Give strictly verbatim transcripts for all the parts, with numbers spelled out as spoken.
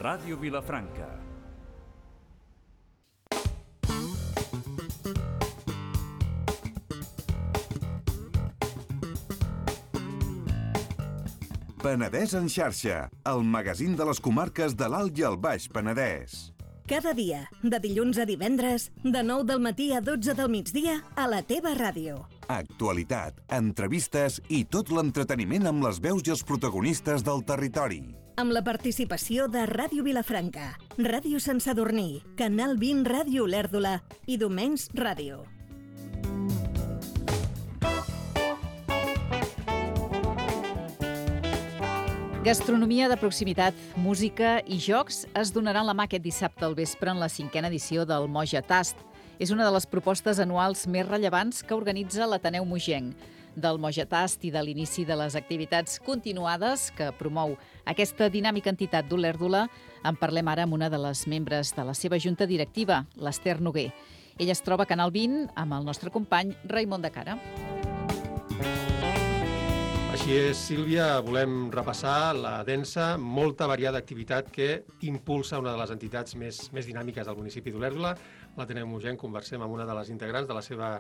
Ràdio Vilafranca. Penedès en xarxa, el magazín de les comarques de l'Alt i el Baix Penedès. Cada dia, de dilluns a divendres, de nou del matí a dotze del migdia, a la teva ràdio. Actualitat, entrevistes i tot l'entreteniment amb les veus i els protagonistes del territori. Amb la participació de Ràdio Vilafranca, Ràdio Sant Sadurní, Canal vint Ràdio Olèrdola i Domenys Ràdio. Gastronomia de proximitat, música i jocs es donaran la mà aquest dissabte al vespre en la cinquena edició del Moja Tast. És una de les propostes anuals més rellevants que organitza l'Ateneu Mogenc. Del Moja Tast i de l'inici de les activitats continuades que promou aquesta dinàmica entitat d'Olèrdola, en parlem ara amb una de les membres de la seva junta directiva, l'Ester Noguer. Ella es troba a Canal vint amb el nostre company Raimon de Cara. Així és, Sílvia, volem repassar la densa, molta variada activitat que impulsa una de les entitats més, més dinàmiques del municipi d'Olèrdola. L'Ateneu Mogenc, conversem amb una de les integrants de la seva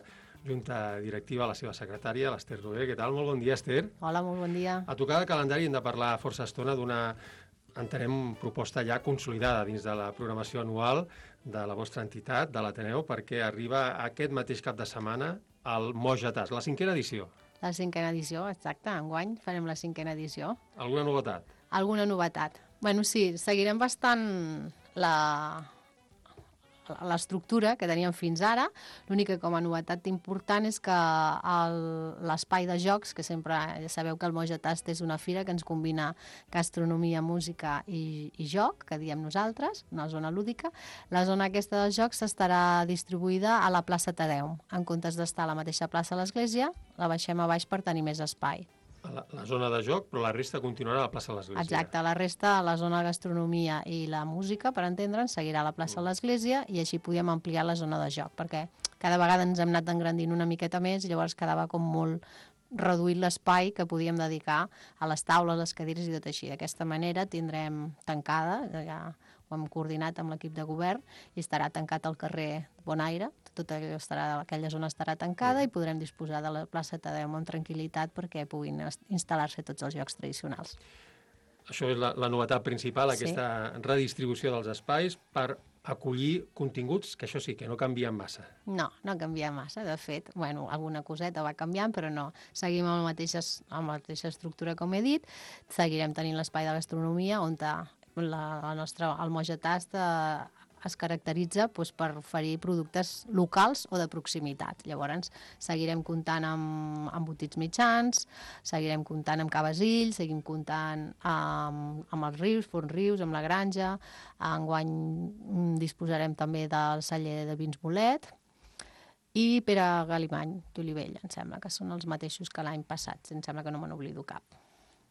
junta directiva, la seva secretària, l'Ester Noguer. Què tal? Molt bon dia, Ester. Hola, molt bon dia. A tocar de calendari hem de parlar força estona d'una, entenem, proposta ja consolidada dins de la programació anual de la vostra entitat, de l'Ateneu, perquè arriba aquest mateix cap de setmana al Moja Tast, la cinquena edició. La cinquena edició, exacte. Enguany farem la cinquena edició. Alguna novetat? Alguna novetat. Bueno, sí, seguirem bastant la l'estructura que teníem fins ara. L'únic que com a novetat important és que l'espai de jocs, que sempre ja sabeu que el Moja Tast és una fira que ens combina gastronomia, música i, i joc, que diem nosaltres, una zona lúdica. La zona aquesta de jocs estarà distribuïda a la plaça Tadeu. En comptes d'estar a la mateixa plaça a l'església, la baixem a baix per tenir més espai. La, la zona de joc, però la resta continuarà a la plaça de l'Església. Exacte, la resta, la zona de gastronomia i la música, per entendre'ns, seguirà a la plaça de l'Església i així podíem ampliar la zona de joc, perquè cada vegada ens hem anat engrandint una miqueta més i llavors quedava com molt reduït l'espai que podíem dedicar a les taules, les cadires i tot així. D'aquesta manera tindrem tancada, ja ho hem coordinat amb l'equip de govern, i estarà tancat el carrer Bonaire, tota allò estarà, aquella zona estarà tancada i podrem disposar de la plaça Tadeu amb tranquil·litat perquè puguin instal·lar-se tots els jocs tradicionals. Això és la, la novetat principal, Sí. aquesta redistribució dels espais per acollir continguts que això sí, que no canvien massa. No, no canvia massa, de fet, bueno, alguna coseta va canviant, però no, seguim amb la mateixa, amb la mateixa estructura com he dit, seguirem tenint l'espai de gastronomia on la, la nostra, el Moja Tast eh, es caracteritza doncs, per oferir productes locals o de proximitat. Llavors, seguirem comptant amb, amb botits mitjans, seguirem comptant amb Cabasills, seguim comptant amb, amb els rius, Forn Rius, amb la granja. Enguany disposarem també del celler de vins Bolet i Pere Galimany d'Olivella, em sembla, que són els mateixos que l'any passat. Em sembla que no me n'oblido cap.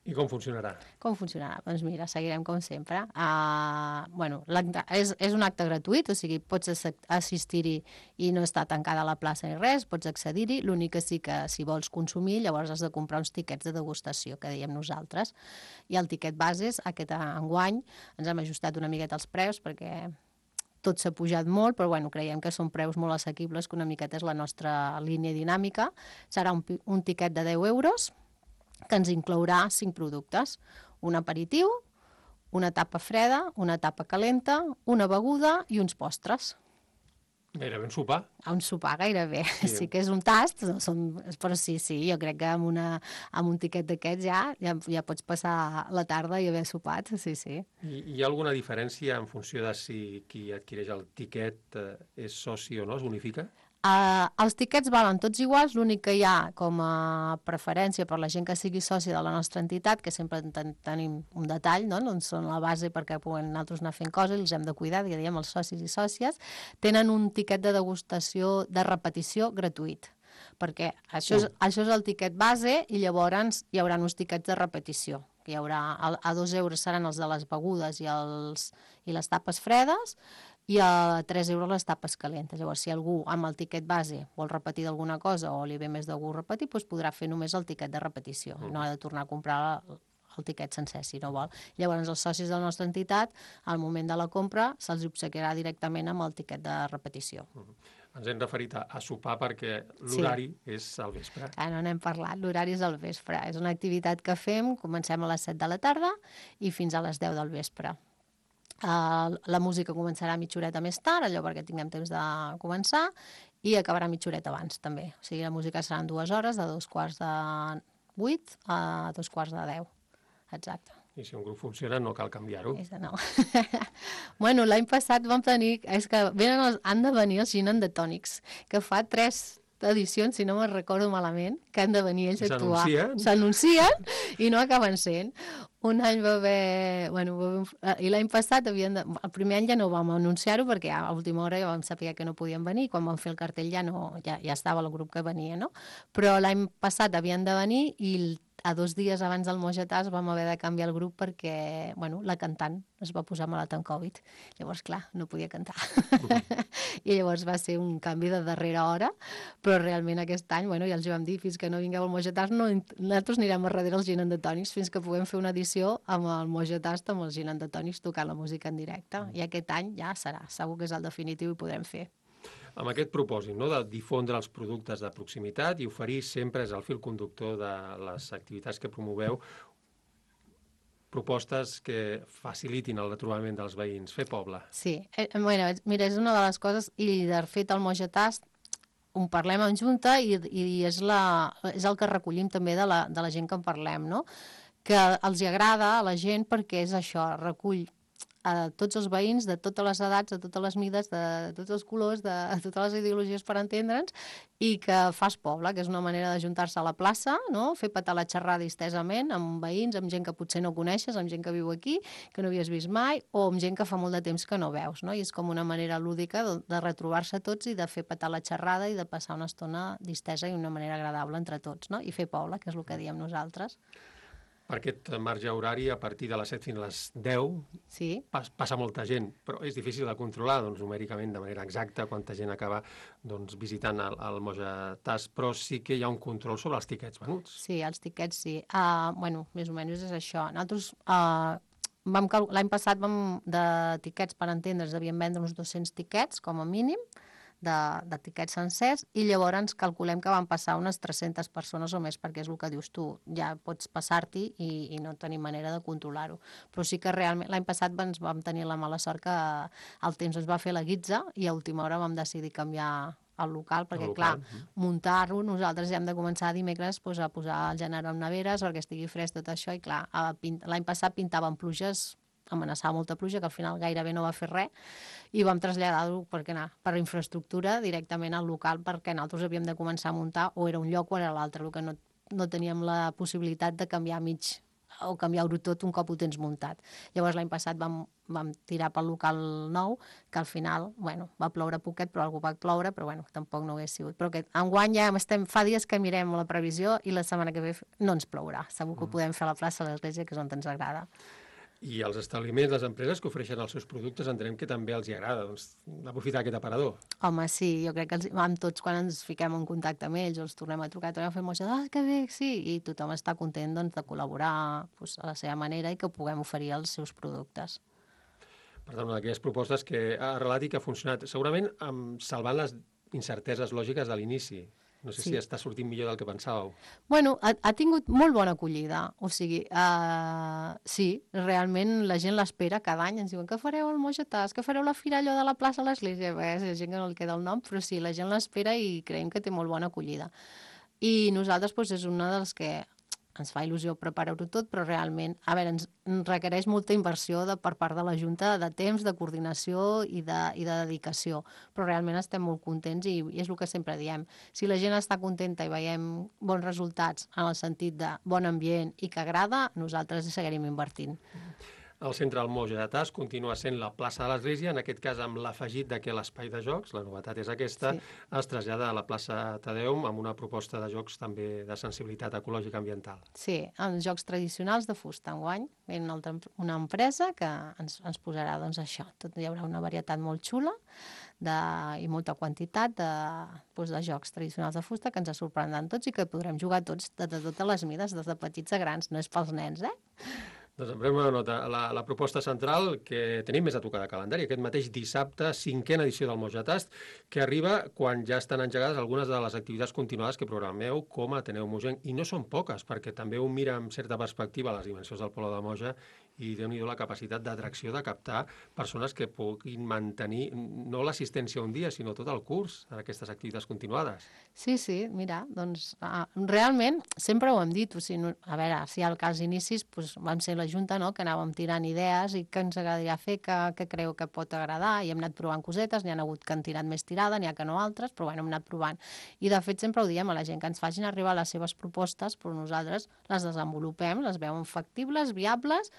I com funcionarà? Com funcionarà? Doncs mira, seguirem com sempre. Uh, bueno, és, és un acte gratuït, o sigui, pots assistir-hi i no està tancada la plaça ni res, pots accedir-hi. L'únic que sí que si vols consumir, llavors has de comprar uns tiquets de degustació, que dèiem nosaltres. I el tiquet base, aquest enguany, ens hem ajustat una miqueta els preus perquè tot s'ha pujat molt, però bueno, creiem que són preus molt assequibles, que una miqueta és la nostra línia dinàmica. Serà un, un tiquet de deu euros, que ens inclourà cinc productes, un aperitiu, una tapa freda, una tapa calenta, una beguda i uns postres. Gairebé un sopar. Un sopar gairebé, sí, sí que és un tast, no són, però sí, sí, jo crec que amb, una, amb un tiquet d'aquests ja, ja ja pots passar la tarda i haver sopat, sí, sí. I hi ha alguna diferència en funció de si qui adquireix el tiquet eh, és soci o no, es bonifica? Uh, els tiquets valen tots iguals, l'únic que hi ha com a preferència per la gent que sigui soci de la nostra entitat, que sempre ten tenim un detall, no? On són la base perquè puguem nosaltres anar fent coses i els hem de cuidar, ja diem, els socis i sòcies, tenen un tiquet de degustació de repetició gratuït, perquè això és, uh. això és el tiquet base i llavors hi haurà uns tiquets de repetició, que hi haurà, a dos euros seran els de les begudes i, els, i les tapes fredes, i a tres euros les tapes calentes. Llavors, si algú amb el tiquet base vol repetir d'alguna cosa o li ve més de gust repetir, doncs podrà fer només el tiquet de repetició. Uh-huh. No ha de tornar a comprar el tiquet sencer, si no vol. Llavors, els socis de la nostra entitat, al moment de la compra, se'ls obsequiarà directament amb el tiquet de repetició. Uh-huh. Ens hem referit a, a sopar perquè l'horari sí. és al vespre. Ah, no n'hem parlat, l'horari és al vespre. És una activitat que fem, comencem a les set de la tarda i fins a les deu del vespre. Uh, la música començarà mitja horeta més tard, allò perquè tinguem temps de començar, i acabarà mitja horeta abans, també. O sigui, la música seran dues hores, de dos quarts de vuit a dos quarts de deu. Exacte. I si un grup funciona no cal canviar-ho. No. Bueno, l'any passat vam tenir... És que venen els, han de venir els Gin and the Tonics, que fa tres edicions, si no me'n recordo malament, que han de venir ells a actuar. S'anuncien. S'anuncien i no acaben sent. Un any va haver... Bueno, va haver... I l'any passat havien de... El primer any ja no vam anunciar-ho perquè a última hora ja vam saber que no podien venir i quan vam fer el cartell ja, no, ja, ja estava el grup que venia, no? Però l'any passat havien de venir i el a dos dies abans del Mojatàs vam haver de canviar el grup perquè, bueno, la cantant es va posar malalt amb Covid. Llavors, clar, no podia cantar. Uh-huh. I llavors va ser un canvi de darrera hora, però realment aquest any, bueno, ja els vam dir, fins que no vingueu al Mojatàs, no, nosaltres anirem a darrere els Gin and the Tonics fins que puguem fer una edició amb el Mojatàs, amb els Gin and the Tonics tocant la música en directe. Uh-huh. I aquest any ja serà, segur que és el definitiu i podrem fer. Amb aquest propòsit, no?, de difondre els productes de proximitat i oferir sempre és el fil conductor de les activitats que promoveu, propostes que facilitin el retrobament dels veïns, fer poble. Sí, eh, bueno, mira, és una de les coses, i de fet el Mojatàs ho parlem en junta i, i és, la, és el que recollim també de la, de la gent que en parlem, no? Que els hi agrada a la gent perquè és això, recull a tots els veïns de totes les edats, de totes les mides, de tots els colors, de, de totes les ideologies per entendre'ns, i que fas poble, que és una manera d'ajuntar-se a la plaça, no? Fer petar la xerrada distesament amb veïns, amb gent que potser no coneixes, amb gent que viu aquí, que no havies vist mai, o amb gent que fa molt de temps que no veus, no? I és com una manera lúdica de, de retrobar-se tots i de fer petar la xerrada i de passar una estona distesa i una manera agradable entre tots, no? I fer poble, que és el que diem nosaltres. Per aquest marge horari, a partir de les set fins a les deu, sí. pas, passa molta gent, però és difícil de controlar, doncs, numèricament, de manera exacta, quanta gent acaba doncs, visitant el, el Mojatàs, però sí que hi ha un control sobre els tiquets venuts. Sí, els tiquets sí. Uh, bueno, més o menys és això. Nosaltres, uh, vam cal... l'any passat vam, de tiquets per entendre's, devíem vendre uns dos-cents tiquets, com a mínim, de, de tiquets sencers, i llavors ens calculem que van passar unes tres-centes persones o més, perquè és el que dius tu, ja pots passar-t'hi i, i no tenim manera de controlar-ho. Però sí que realment, l'any passat ens vam tenir la mala sort que el temps ens va fer la guitza i a última hora vam decidir canviar el local, perquè el local. Clar, muntar-ho, nosaltres ja hem de començar dimecres pues, a posar el gènere en neveres perquè estigui fresc tot això, i clar, l'any passat pintaven pluges, amenaçava molta pluja, que al final gairebé no va fer res, i vam traslladar-ho perquè, anar, per infraestructura directament al local, perquè nosaltres havíem de començar a muntar, o era un lloc o era l'altre, el que no, no teníem la possibilitat de canviar mig o canviar-ho tot un cop ho tens muntat. Llavors l'any passat vam, vam tirar pel local nou, que al final, bueno, va ploure poquet, però algú va ploure, però bueno, tampoc no hagués sigut. Però que enguany ja estem, fa dies que mirem la previsió i la setmana que ve no ens plourà. Segur que ho podem fer a la plaça de l'Església, que és on ens agrada. I els establiments, les empreses que ofereixen els seus productes, entenem que també els hi agrada doncs, aprofitar aquest aparador. Home, sí, jo crec que els, amb tots, quan ens fiquem en contacte amb ells, o els tornem a trucar, tornem a fer moixada, ah, que bé, sí, i tothom està content doncs, de col·laborar doncs, a la seva manera i que puguem oferir els seus productes. Per tant, una d'aquelles propostes que ha arrelat i que ha funcionat, segurament amb, salvant les incerteses lògiques de l'inici. No sé sí. si està sortint millor del que pensàveu. Bueno, ha, ha tingut molt bona acollida. O sigui, uh, sí, realment la gent l'espera cada any. Ens diuen que fareu el Mojatàs, que fareu la fira allò de la plaça a l'Església. Bé, és gent que no el queda el nom, però sí, la gent l'espera i creiem que té molt bona acollida. I nosaltres doncs, és una dels que ens fa il·lusió preparar-ho tot, però realment, a veure, ens requereix molta inversió de, per part de la Junta, de temps, de coordinació i de, i de dedicació, però realment estem molt contents i, i és el que sempre diem. Si la gent està contenta i veiem bons resultats en el sentit de bon ambient i que agrada, nosaltres seguirem invertint. El centre del Moja de Tas continua sent la plaça de l'Església, en aquest cas amb l'afegit de que l'espai de jocs, la novetat és aquesta, sí. es trasllada a la plaça Tadeum amb una proposta de jocs també de sensibilitat ecològica ambiental. Sí, els jocs tradicionals de fusta enguany. Ve una, altra, una empresa que ens, ens posarà doncs, això. Tot, hi haurà una varietat molt xula de, i molta quantitat de, doncs, de jocs tradicionals de fusta que ens sorprendran tots i que podrem jugar tots de, de totes les mides, des de petits a grans. No és pels nens, eh? Doncs en una nota, la, la proposta central que tenim més a tocar de calendari, aquest mateix dissabte, cinquena edició del Moja Tast, que arriba quan ja estan engegades algunes de les activitats continuades que programeu com a Ateneu Mogenc, i no són poques, perquè també ho mira amb certa perspectiva les dimensions del Poble de Moja i déu-n'hi-do la capacitat d'atracció de captar persones que puguin mantenir no l'assistència un dia, sinó tot el curs en aquestes activitats continuades. Sí, sí, mira, doncs uh, realment sempre ho hem dit, o sigui, no, a veure, si al cas inicis doncs, vam ser la Junta, no?, que anàvem tirant idees i que ens agradaria fer, que, que creu que pot agradar, i hem anat provant cosetes, n'hi ha hagut que han tirat més tirada, n'hi ha que no altres, però bueno, hem anat provant. I de fet sempre ho diem a la gent, que ens facin arribar les seves propostes, però nosaltres les desenvolupem, les veiem factibles, viables.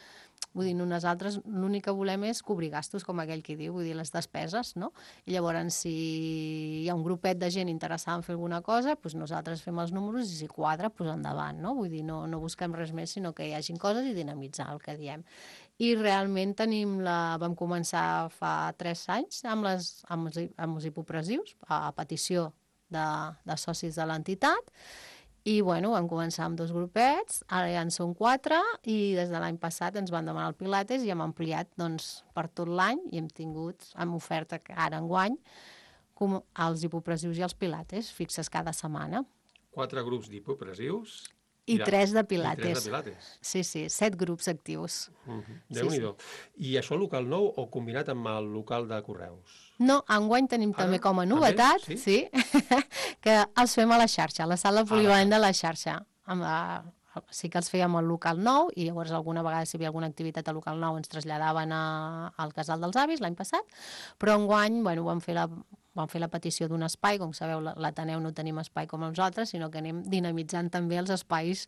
Vull dir, nosaltres l'únic que volem és cobrir gastos, com aquell qui diu, vull dir, les despeses, no? I llavors, si hi ha un grupet de gent interessada en fer alguna cosa, doncs nosaltres fem els números i si quadra, doncs endavant, no? Vull dir, no, no busquem res més, sinó que hi hagin coses i dinamitzar el que diem. I realment tenim la... vam començar fa tres anys amb, les, amb, els, amb els hipopressius, a petició de, de socis de l'entitat. I, bueno, vam començar amb dos grupets, ara ja en són quatre, i des de l'any passat ens van demanar el Pilates i hem ampliat, doncs, per tot l'any, i hem tingut, amb oferta ara enguany, com els hipopressius i els Pilates, fixes cada setmana. Quatre grups d'hipopressius... I ja, tres de Pilates. I tres de Pilates. Sí, sí, set grups actius. Uh-huh. Déu-n'hi-do. Sí, sí. I això local nou o combinat amb el local de correus? No, enguany tenim Ara, també com a novetat, també? Sí, sí que els fem a la xarxa, a la sala polivalent ah, de la xarxa. Amb la... Sí que els fèiem al local nou i llavors alguna vegada si hi havia alguna activitat al local nou ens traslladaven a, al Casal dels Avis l'any passat, però enguany, bueno, vam fer la... vam fer la petició d'un espai, com sabeu, l'Ateneu no tenim espai com nosaltres, sinó que anem dinamitzant també els espais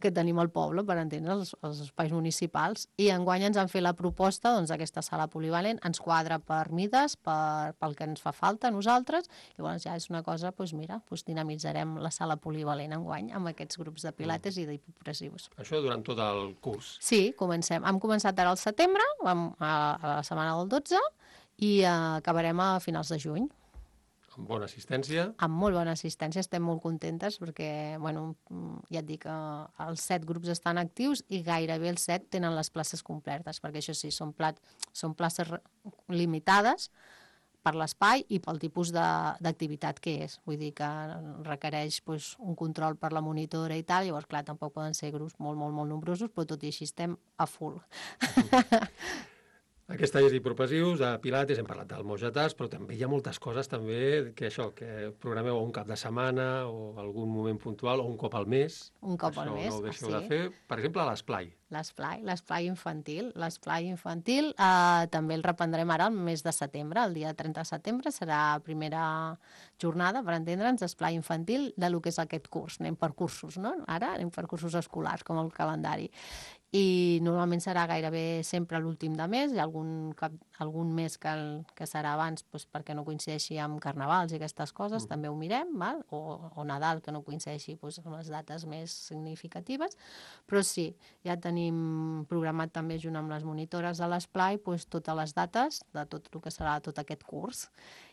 que tenim al poble, per entendre, els, els espais municipals, i enguany ens han fet la proposta, doncs, d'aquesta sala polivalent, ens quadra per mides, per, pel que ens fa falta a nosaltres, i llavors ja és una cosa, doncs mira, doncs dinamitzarem la sala polivalent enguany amb aquests grups de pilates mm. i d'hipopressius. Això durant tot el curs? Sí, comencem. Hem començat ara al setembre, vam a, a la setmana del dotze, i uh, acabarem a finals de juny. Amb bona assistència? Amb molt bona assistència, estem molt contentes perquè, bueno, ja et dic que els set grups estan actius i gairebé els set tenen les places complertes, perquè això sí, són, plat, són places limitades per l'espai i pel tipus d'activitat que és. Vull dir que requereix pues, un control per la monitora i tal, llavors, clar, tampoc poden ser grups molt, molt, molt nombrosos, però tot i així estem a full. Aquest taller d'hipopressius, de Pilates, hem parlat del Moja Tast, però també hi ha moltes coses també que això, que programeu un cap de setmana o algun moment puntual o un cop al mes. Un cop al mes, no ho deixeu sí. de fer. Per exemple, a l'esplai. L'esplai, l'esplai infantil. L'esplai infantil eh, també el reprendrem ara el mes de setembre, el dia trenta de setembre, serà la primera jornada, per entendre'ns, d'esplai infantil de lo que és aquest curs. Anem per cursos, no? Ara anem per cursos escolars, com el calendari. I normalment serà gairebé sempre l'últim de mes, hi ha algun, cap, algun mes que, el, que serà abans doncs, perquè no coincideixi amb carnavals i aquestes coses, mm. també ho mirem, val? O, o Nadal, que no coincideixi doncs, amb les dates més significatives, però sí, ja tenim programat també junt amb les monitores de l'esplai doncs, totes les dates de tot el que serà tot aquest curs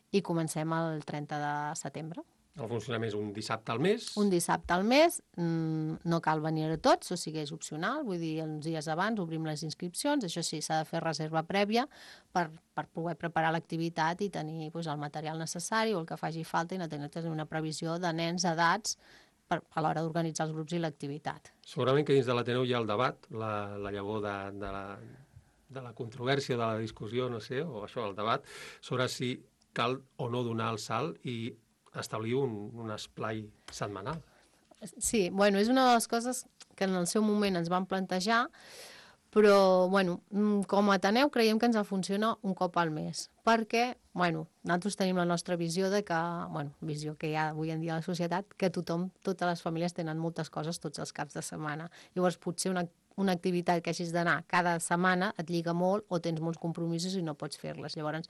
i comencem el trenta de setembre. El funcionament és un dissabte al mes? Un dissabte al mes, no cal venir a tots, o sigui, és opcional, vull dir, uns dies abans obrim les inscripcions, això sí, s'ha de fer reserva prèvia per, per poder preparar l'activitat i tenir doncs, el material necessari o el que faci falta i no tenir una previsió de nens, edats, per, a l'hora d'organitzar els grups i l'activitat. Segurament que dins de l'Ateneu hi ha el debat, la, la llavor de, de, la, de la controvèrsia, de la discussió, no sé, o això, el debat, sobre si cal o no donar el salt i establir un, un esplai setmanal. Sí, bueno, és una de les coses que en el seu moment ens van plantejar, però, bueno, com a Ateneu creiem que ens funciona un cop al mes, perquè, bueno, nosaltres tenim la nostra visió de que, bueno, visió que hi ha avui en dia a la societat, que tothom, totes les famílies tenen moltes coses tots els caps de setmana. Llavors, potser una una activitat que hagis d'anar cada setmana et lliga molt o tens molts compromisos i no pots fer-les. Llavors,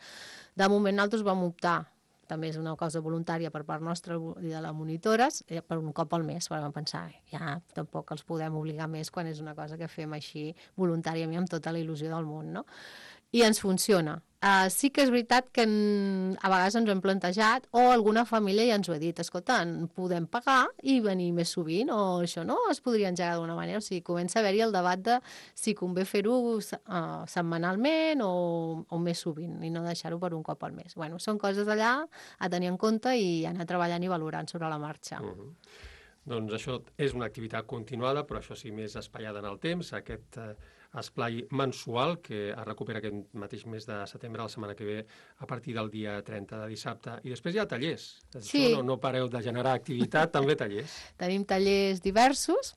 de moment nosaltres vam optar, també és una cosa voluntària per part nostra i de les monitores, per un cop al mes, perquè vam pensar, ja tampoc els podem obligar més quan és una cosa que fem així voluntàriament amb tota la il·lusió del món, no? I ens funciona. Uh, sí que és veritat que en, a vegades ens ho hem plantejat o alguna família ja ens ho ha dit, escolta, en podem pagar i venir més sovint o això no es podria engegar d'alguna manera, o sigui, comença a haver-hi el debat de si convé fer-ho uh, setmanalment o, o més sovint i no deixar-ho per un cop al mes. Bueno, són coses allà a tenir en compte i anar treballant i valorant sobre la marxa. Uh-huh. Doncs això és una activitat continuada, però això sí més espaiada en el temps, aquest eh, esplai mensual que es recupera aquest mateix mes de setembre, la setmana que ve, a partir del dia trenta de dissabte. I després hi ha tallers. Sí. No, no pareu de generar activitat, també tallers. Tenim tallers diversos.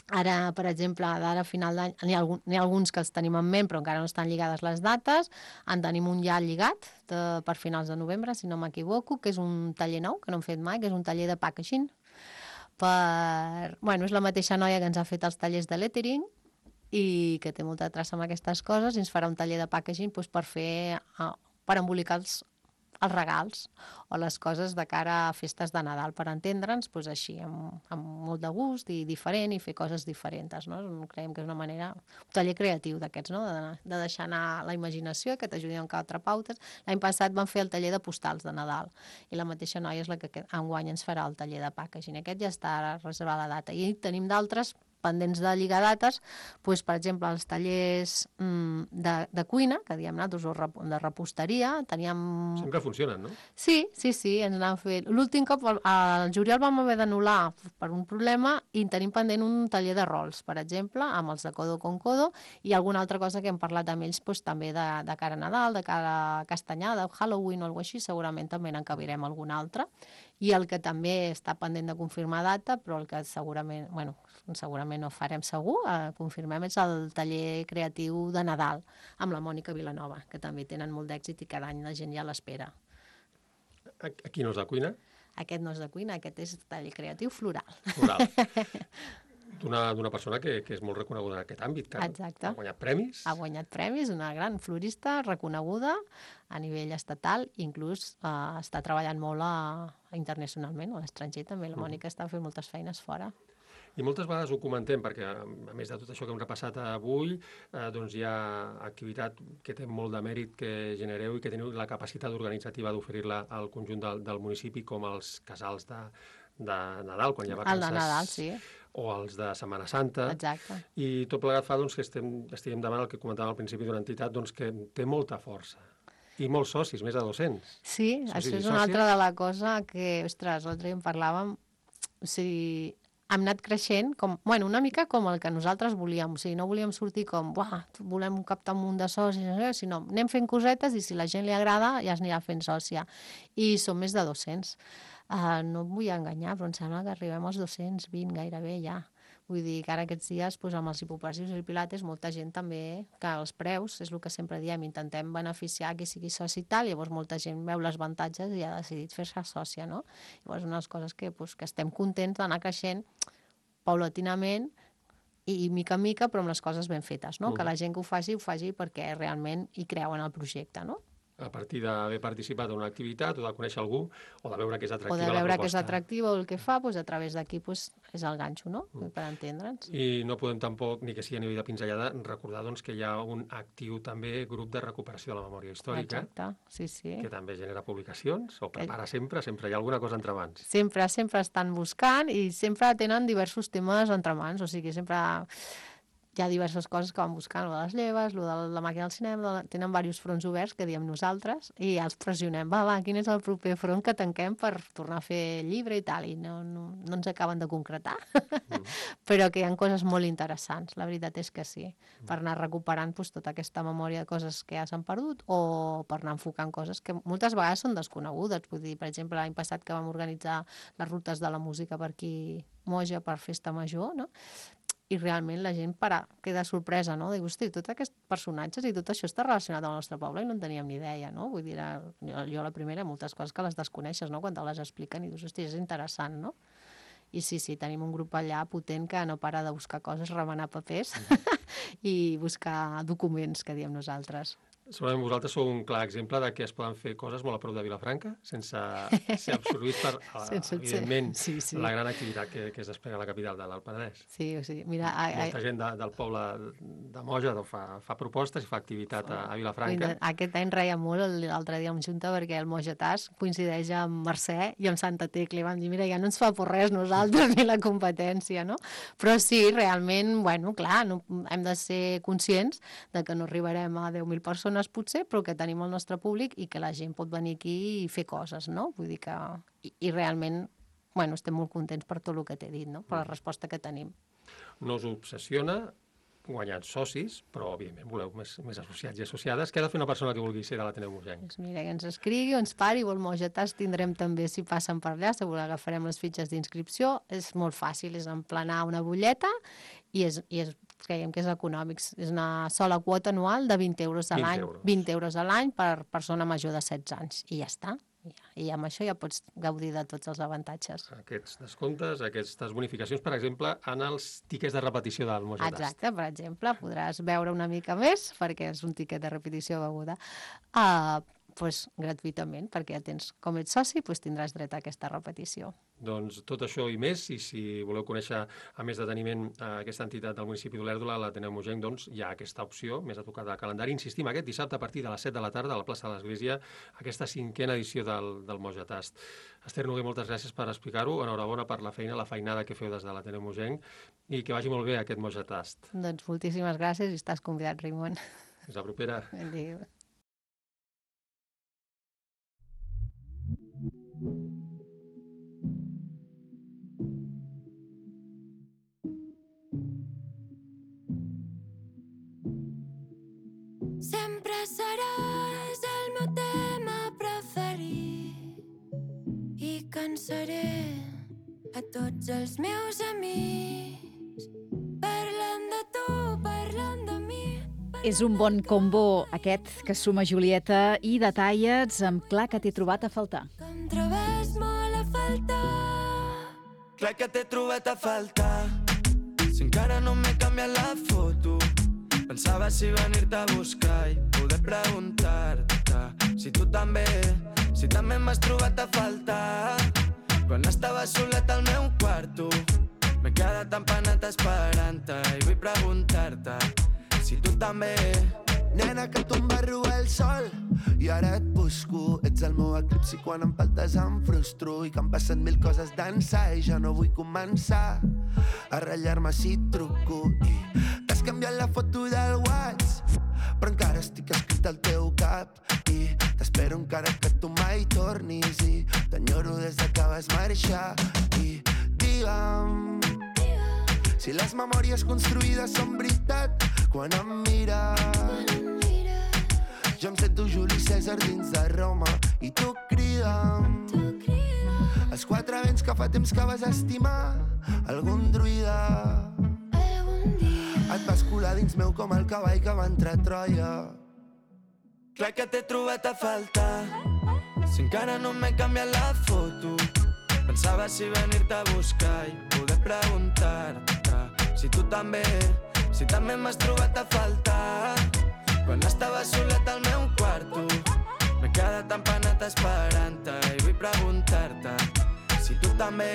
Ara, per exemple, d'ara a final d'any, n'hi ha, algun, n'hi ha alguns que els tenim en ment, però encara no estan lligades les dates. En tenim un ja lligat de, per finals de novembre, si no m'equivoco, que és un taller nou, que no hem fet mai, que és un taller de packaging. Per... Bueno, és la mateixa noia que ens ha fet els tallers de lettering i que té molta traça amb aquestes coses i ens farà un taller de packaging doncs, per fer, uh, per embolicar els, els regals o les coses de cara a festes de Nadal, per entendre'ns, doncs així, amb, amb molt de gust i diferent i fer coses diferents, no? Creiem que és una manera, un taller creatiu d'aquests, no? De, de deixar anar la imaginació, que t'ajudi amb quatre pautes. L'any passat vam fer el taller de postals de Nadal i la mateixa noia és la que enguany ens farà el taller de packaging. Aquest ja està reservat la data i tenim d'altres pendents de lligar dates, doncs, per exemple, els tallers mm, de, de cuina, que diem nosaltres, o de reposteria, teníem... Sempre funcionen, no? Sí, sí, sí, ens n'han fet... L'últim cop, al juliol vam haver d'anul·lar per un problema i tenim pendent un taller de rols, per exemple, amb els de Codo con Codo, i alguna altra cosa que hem parlat amb ells, doncs, també de, de cara a Nadal, de cara a Castanyada, Halloween o alguna cosa així, segurament també n'encabirem alguna altra. I el que també està pendent de confirmar data, però el que segurament, bueno, segurament no farem segur, eh, confirmem, és el taller creatiu de Nadal, amb la Mònica Vilanova, que també tenen molt d'èxit i cada any la gent ja l'espera. Aquí no és de cuina? Aquest no és de cuina, aquest és taller creatiu floral. Floral. D'una persona que, que és molt reconeguda en aquest àmbit, que Exacte. Ha guanyat premis. Ha guanyat premis, una gran florista reconeguda a nivell estatal, inclús eh, està treballant molt a, a internacionalment, a l'estranger també, la Mònica mm. està fent moltes feines fora. I moltes vegades ho comentem, perquè a més de tot això que hem repassat avui, eh, doncs hi ha activitat que té molt de mèrit que genereu i que teniu la capacitat organitzativa d'oferir-la al conjunt del, del municipi, com els casals de, de Nadal, quan hi ha vacances. El de Nadal, sí. O els de Setmana Santa. Exacte. I tot plegat fa doncs, que estem, estiguem davant el que comentàvem al principi d'una entitat doncs, que té molta força. I molts socis, més de dos-cents. Sí, socis això és una altra de la cosa que, ostres, l'altre dia en parlàvem, o sigui, hem anat creixent, com, bueno, una mica com el que nosaltres volíem, o sigui, no volíem sortir com, buah, volem captar un munt de socis, sinó anem fent cosetes i si la gent li agrada ja es anirà fent sòcia. I som més de dos-cents. Uh, no em vull enganyar, però em sembla que arribem als dos-cents vint gairebé ja. Vull dir que ara aquests dies, doncs, amb els hipopressius i pilates, molta gent també, que els preus, és el que sempre diem, intentem beneficiar qui sigui soci i tal, llavors molta gent veu les avantatges i ha decidit fer-se sòcia, no? Llavors, unes coses que, doncs, que estem contents d'anar creixent paulatinament i, i mica en mica, però amb les coses ben fetes, no? Mm. Que la gent que ho faci, ho faci perquè realment hi creu en el projecte, no? A partir d'haver participat en una activitat o de conèixer algú o de veure que és atractiva la proposta. O de veure que és atractiva o el que fa, doncs a través d'aquí doncs, és el ganxo, no? Mm. Per entendre'ns. I no podem tampoc, ni que sigui a nivell de pinzellada, recordar doncs, que hi ha un actiu també grup de recuperació de la memòria històrica. Exacte, sí, sí. Que també genera publicacions o prepara sempre, sempre hi ha alguna cosa entre mans. Sempre, sempre estan buscant i sempre tenen diversos temes entre mans, o sigui, sempre... Hi ha diverses coses que van buscant, lo de les lleves, lo de la màquina del cinema, de... tenen diversos fronts oberts que diem nosaltres i ja els pressionem, va, va, quin és el proper front que tanquem per tornar a fer llibre i tal, i no, no, no ens acaben de concretar, mm. però que hi ha coses molt interessants, la veritat és que sí, mm. per anar recuperant doncs, tota aquesta memòria de coses que ja s'han perdut o per anar enfocant coses que moltes vegades són desconegudes, vull dir, per exemple, l'any passat que vam organitzar les rutes de la música per aquí, Moja, per Festa Major, no? I realment la gent para, queda sorpresa, no? Diu, hosti, tots aquests personatges i tot això està relacionat amb el nostre poble i no en teníem ni idea, no? Vull dir, jo, jo la primera, moltes coses que les desconeixes, no? Quan te les expliquen i dius, hosti, és interessant, no? I sí, sí, tenim un grup allà potent que no para de buscar coses, remenar papers i buscar documents, que diem nosaltres. Segurament vosaltres sou un clar exemple de que es poden fer coses molt a prop de Vilafranca sense ser absorbits per, sense evidentment, sí, sí. la gran activitat que, que es desplega a la capital de l'Alt Penedès. Sí, sí. Mira, a, a... Molta gent de, del poble de Moja fa, fa propostes i fa activitat a, a Vilafranca. Aquest any reia molt l'altre dia amb Junta perquè el Moja Task coincideix amb Mercè i amb Santa Tecla. I vam dir, mira, ja no ens fa por res nosaltres ni la competència, no? Però sí, realment, bueno, clar, no, hem de ser conscients de que no arribarem a deu mil persones potser, però que tenim el nostre públic i que la gent pot venir aquí i fer coses, no? Vull dir que... I, i realment, bueno, estem molt contents per tot el que t'he dit, no? Per la resposta que tenim. No us obsessiona guanyar socis, però, òbviament, voleu més, més associats i associades. Què ha de fer una persona que vulgui ser de l'Ateneu Mosenc? Doncs mira, que ens escrigui o ens pari, vol Moja Task, tindrem també, si passen per allà, segur que agafarem les fitxes d'inscripció. És molt fàcil, és emplenar una butlleta i és, i és creiem que és econòmic. És una sola quota anual de vint euros a l'any. vint euros a l'any per persona major de setze anys. I ja està. I amb això ja pots gaudir de tots els avantatges. Aquests descomptes, aquestes bonificacions, per exemple, en els tíquets de repetició del Moja Task. Exacte, per exemple, podràs veure una mica més, perquè és un tíquet de repetició beguda, uh, pues, gratuïtament, perquè ja tens, com ets soci, pues, tindràs dret a aquesta repetició. Doncs tot això i més, i si voleu conèixer a més deteniment aquesta entitat del municipi d'Olèrdola, l'Ateneu Mosenc, doncs hi ha aquesta opció, més a tocar de calendari. Insistim, aquest dissabte a partir de les set de la tarda a la plaça de l'Església, aquesta cinquena edició del, del Moja Task. Esther Noguer, moltes gràcies per explicar-ho. Enhorabona per la feina, la feinada que feu des de l'Ateneu Mosenc, i que vagi molt bé aquest Moja Task. Doncs moltíssimes gràcies i estàs convidat, Raimon. Fins la propera. Adéu. Sempre seràs el meu tema preferit i cansaré a tots els meus amics parlant de tu, parlant de mi. És un bon combo aquest que suma Julieta i Detallets amb Clar que t'he trobat a faltar. Que em trobes molt a faltar. Clar que t'he trobat a faltar. Si encara no m'he canviat la foto, pensava si venir-te a buscar i poder preguntar-te si tu també, si també m'has trobat a faltar. Quan estava solet al meu quarto, m'he quedat empanat esperant-te i vull preguntar-te si tu també. Nena, que tu em vas robar el sol i ara et busco. Ets el meu eclipsi, quan em faltes em frustro i que han passat mil coses d'ençà i ja no vull començar a ratllar-me si truco. I t'has canviat la foto del WhatsApp, però encara estic escrit al teu cap i t'espero encara que tu mai tornis i t'enyoro des que vas marxar. I digue'm si les memòries construïdes són veritat quan em mires. Jo em sento Juli Cèsar dins de Roma i tu crida'm els quatre vents que fa temps que vas estimar. Algun druida et vas colar dins meu com el cavall que va entrar a Troia. Clar que t'he trobat a faltar. Si encara no m'he canviat la foto, pensava si venir-te a buscar i poder preguntar-te si tu també, si també m'has trobat a faltar. Quan estava solet al meu quarto, m'he quedat empanat esperant-te i vull preguntar-te si tu també.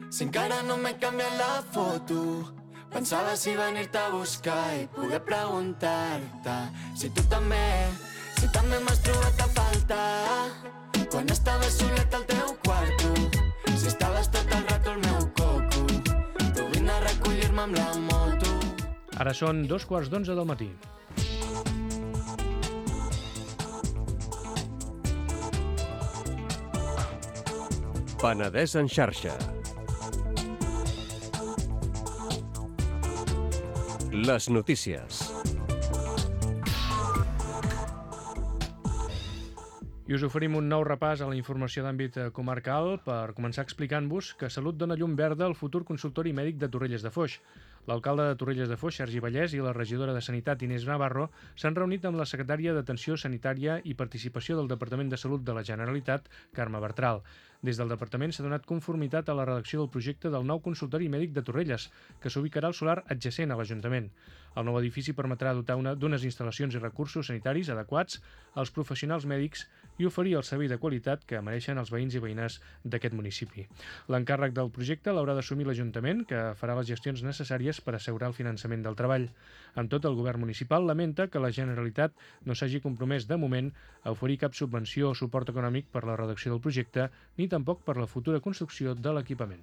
Si encara no m'he canviat la foto, pensava si venir-te a buscar i poder preguntar-te si tu també, si també m'has trobat a faltar. quan estava solet al teu quarto, si estaves tot el rato al meu coco, tu vine a recollir-me amb la moto. Ara són dos quarts d'onze del matí. Penedès en xarxa. Les notícies. I us oferim un nou repàs a la informació d'àmbit comarcal per començar explicant-vos que Salut dona llum verda al futur consultori mèdic de Torrelles de Foix. L'alcalde de Torrelles de Foix, Sergi Vallès, i la regidora de Sanitat, Inés Navarro, s'han reunit amb la secretària d'Atenció Sanitària i Participació del Departament de Salut de la Generalitat, Carme Bertral. Des del departament s'ha donat conformitat a la redacció del projecte del nou consultori mèdic de Torrelles, que s'ubicarà al solar adjacent a l'Ajuntament. El nou edifici permetrà dotar d'unes instal·lacions i recursos sanitaris adequats als professionals mèdics i oferir el servei de qualitat que mereixen els veïns i veïnes d'aquest municipi. L'encàrrec del projecte l'haurà d'assumir l'Ajuntament, que farà les gestions necessàries per assegurar el finançament del treball. Amb tot, el govern municipal lamenta que la Generalitat no s'hagi compromès de moment a oferir cap subvenció o suport econòmic per la redacció del projecte, ni tampoc per la futura construcció de l'equipament.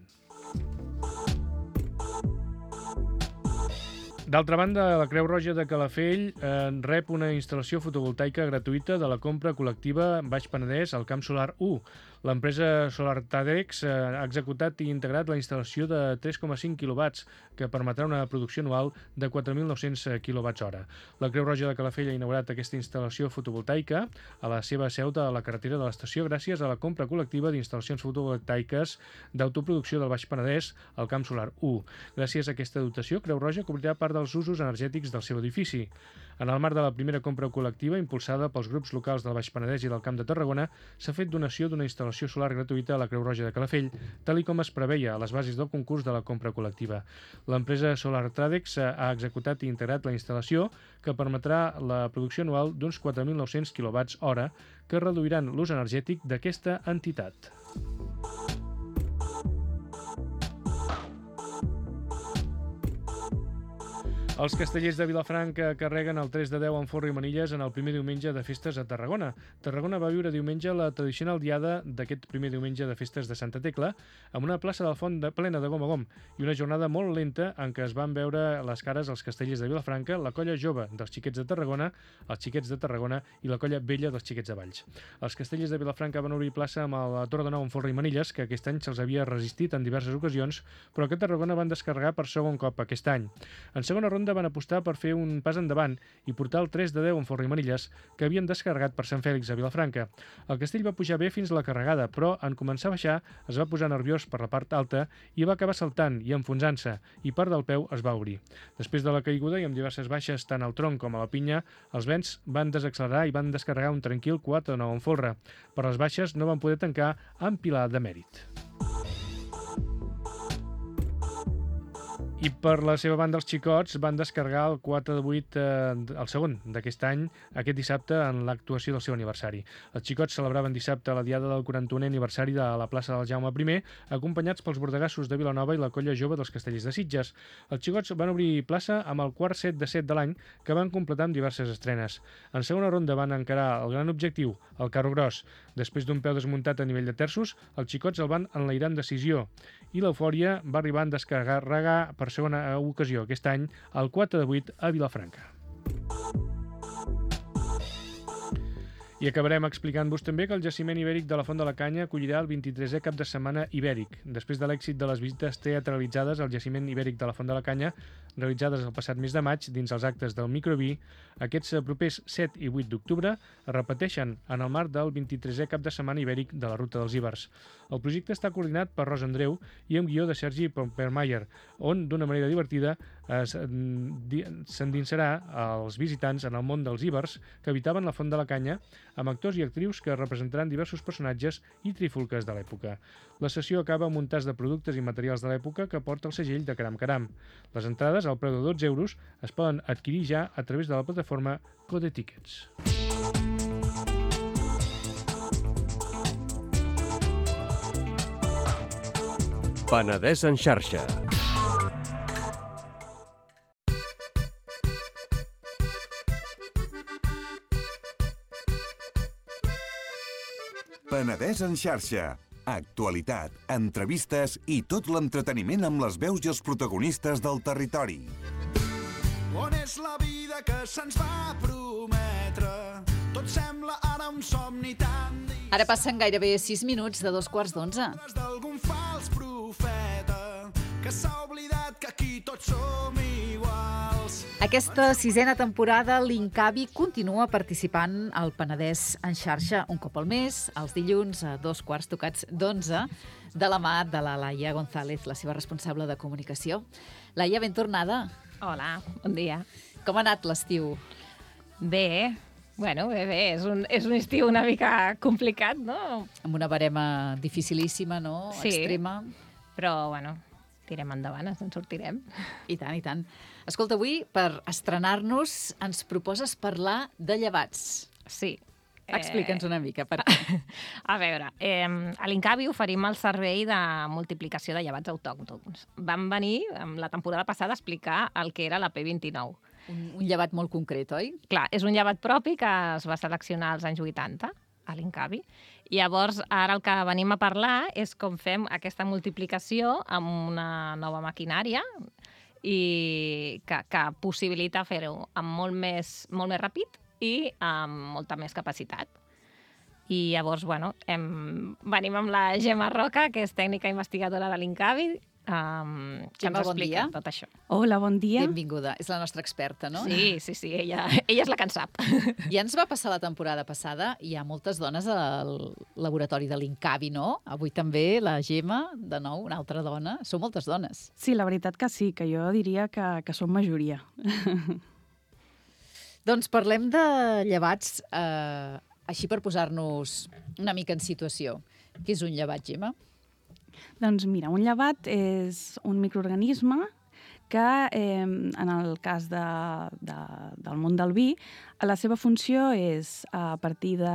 D'altra banda, la Creu Roja de Calafell eh, rep una instal·lació fotovoltaica gratuïta de la compra col·lectiva Baix Penedès al Camp Solar u. L'empresa Solar Tadex eh, ha executat i integrat la instal·lació de tres coma cinc quilowatts, que permetrà una producció anual de quatre mil nou-cents quilowatts hora. La Creu Roja de Calafell ha inaugurat aquesta instal·lació fotovoltaica a la seva seu de la carretera de l'estació gràcies a la compra col·lectiva d'instal·lacions fotovoltaiques d'autoproducció del Baix Penedès al Camp Solar u. Gràcies a aquesta dotació, Creu Roja cobrirà part dels usos energètics del seu edifici. En el marc de la primera compra col·lectiva impulsada pels grups locals del Baix Penedès i del Camp de Tarragona, s'ha fet donació d'una instal·lació solar gratuïta a la Creu Roja de Calafell, tal i com es preveia a les bases del concurs de la compra col·lectiva. L'empresa Solar Tradex ha executat i integrat la instal·lació, que permetrà la producció anual d'uns quatre mil nou-cents quilowatts hora, que reduiran l'ús energètic d'aquesta entitat. Els castellers de Vilafranca carreguen el tres de deu amb forro i manilles en el primer diumenge de festes a Tarragona. Tarragona va viure diumenge la tradicional diada d'aquest primer diumenge de festes de Santa Tecla, amb una plaça del Font de, plena de gom a gom i una jornada molt lenta en què es van veure les cares els castellers de Vilafranca, la colla jove dels xiquets de Tarragona, els xiquets de Tarragona i la colla vella dels xiquets de Valls. Els castellers de Vilafranca van obrir plaça amb la Torre de Nou amb forro i manilles, que aquest any se'ls havia resistit en diverses ocasions, però que Tarragona van descarregar per segon cop aquest any. En segona ronda van apostar per fer un pas endavant i portar el tres de deu amb forro i manilles que havien descarregat per Sant Fèlix a Vilafranca. El castell va pujar bé fins a la carregada, però en començar a baixar es va posar nerviós per la part alta i va acabar saltant i enfonsant-se, i part del peu es va obrir. Després de la caiguda i amb diverses baixes tant al tronc com a la pinya, els vents van desaccelerar i van descarregar un tranquil quatre de nou amb folre. Per les baixes no van poder tancar amb pilar de mèrit. I per la seva banda, els xicots van descarregar el quatre de vuit, eh, el segon d'aquest any, aquest dissabte, en l'actuació del seu aniversari. Els xicots celebraven dissabte la diada del quaranta-unè aniversari de la plaça del Jaume primer, acompanyats pels bordegassos de Vilanova i la colla jove dels castellers de Sitges. Els xicots van obrir plaça amb el quart set de set de l'any, que van completar amb diverses estrenes. En segona ronda van encarar el gran objectiu, el carro gros. Després d'un peu desmuntat a nivell de terços, els xicots el van enlairar amb decisió, i l'eufòria va arribar a descarregar per segona ocasió aquest any el quatre de vuit a Vilafranca. I acabarem explicant-vos també que el jaciment ibèric de la Font de la Canya acollirà el vint-i-tresè cap de setmana ibèric. Després de l'èxit de les visites teatralitzades al jaciment ibèric de la Font de la Canya, realitzades el passat mes de maig dins els actes del Microví, aquests propers set i vuit d'octubre es repeteixen en el marc del vint-i-tresè cap de setmana ibèric de la Ruta dels Ibers. El projecte està coordinat per Rosa Andreu i amb guió de Sergi Pompermayer, on, d'una manera divertida, s'endinsarà als visitants en el món dels ibers que habitaven la Font de la Canya, amb actors i actrius que representaran diversos personatges i trifulques de l'època. La sessió acaba amb un tas de productes i materials de l'època que porta el segell de Caram Caram. Les entrades, al preu de dotze euros, es poden adquirir ja a través de la plataforma Code Tickets. Penedès en xarxa. Penedès en xarxa. Actualitat, entrevistes i tot l'entreteniment amb les veus i els protagonistes del territori. On és la vida que se'ns va prometre? Tot sembla ara un somni tan distint. Ara passen gairebé sis minuts de dos quarts d'onze. D'algun fals profeta que s'ha oblidat que aquí tots som iguals. Aquesta sisena temporada, l'Incavi continua participant al Penedès en xarxa un cop al mes, els dilluns a dos quarts tocats d'onze, de la mà de la Laia González, la seva responsable de comunicació. Laia, ben tornada. Hola, bon dia. Com ha anat l'estiu? Bé, bueno, bé, bé. És un, és un estiu una mica complicat, no? Amb una barema dificilíssima, no? Sí, extrema. Però, bueno, tirem endavant, ens en sortirem. I tant, i tant. Escolta, avui, per estrenar-nos, ens proposes parlar de llevats. Sí. Explica'ns una mica. Per què. A veure, eh, a l'Incavi oferim el servei de multiplicació de llevats autòctons. Vam venir, la temporada passada, a explicar el que era la P vint-i-nou. Un, un llevat molt concret, oi? Clar, és un llevat propi que es va seleccionar als anys vuitanta, a l'Incavi. Llavors, ara el que venim a parlar és com fem aquesta multiplicació amb una nova maquinària i que, que possibilita fer-ho amb molt més, molt més ràpid i amb molta més capacitat. I llavors, bueno, hem, venim amb la Gemma Roca, que és tècnica investigadora de l'Incavi, Um, que Gemma, ens bon explica dia. tot això. Hola, bon dia. Benvinguda. És la nostra experta, no? Sí, sí, sí, ella, ella és la que en sap. Ja ens va passar la temporada passada, hi ha moltes dones al laboratori de l'Incavi, no? Avui també la Gemma, de nou, una altra dona. Són moltes dones. Sí, la veritat que sí, que jo diria que, que som majoria. Doncs parlem de llevats, eh, així per posar-nos una mica en situació. Què és un llevat, Gemma? Doncs mira, un llevat és un microorganisme que, eh, en el cas de, de, del món del vi, la seva funció és, a partir de,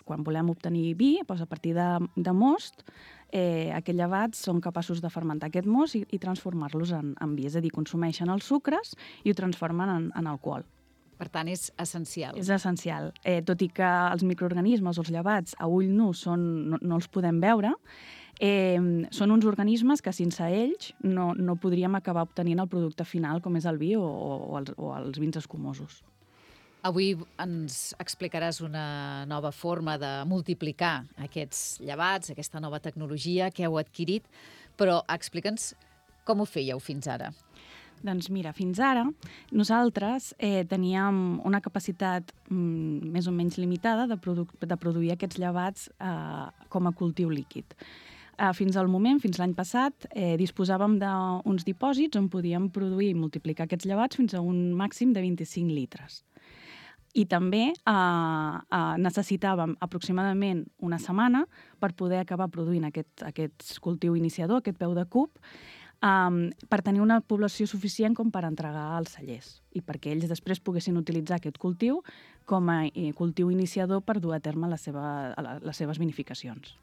quan volem obtenir vi, doncs a partir de, de most, eh, aquests llevats són capaços de fermentar aquest most i, i transformar-los en, en vi, és a dir, consumeixen els sucres i ho transformen en, en alcohol. Per tant, és essencial. És essencial. Eh, tot i que els microorganismes, els llevats, a ull nu són, no, no els podem veure, eh, són uns organismes que sense ells no, no podríem acabar obtenint el producte final, com és el vi o, o, els, o els vins escumosos. Avui ens explicaràs una nova forma de multiplicar aquests llevats, aquesta nova tecnologia que heu adquirit, però explica'ns com ho fèieu fins ara. Doncs mira, fins ara nosaltres eh, teníem una capacitat mm, més o menys limitada de, produ de produir aquests llevats eh, com a cultiu líquid. Eh, fins al moment, fins l'any passat, eh, disposàvem d'uns dipòsits on podíem produir i multiplicar aquests llevats fins a un màxim de vint-i-cinc litres. I també eh, eh, necessitàvem aproximadament una setmana per poder acabar produint aquest, aquest cultiu iniciador, aquest peu de cub, Um, per tenir una població suficient com per entregar als cellers i perquè ells després poguessin utilitzar aquest cultiu com a eh, cultiu iniciador per dur a terme la seva, la, les seves vinificacions.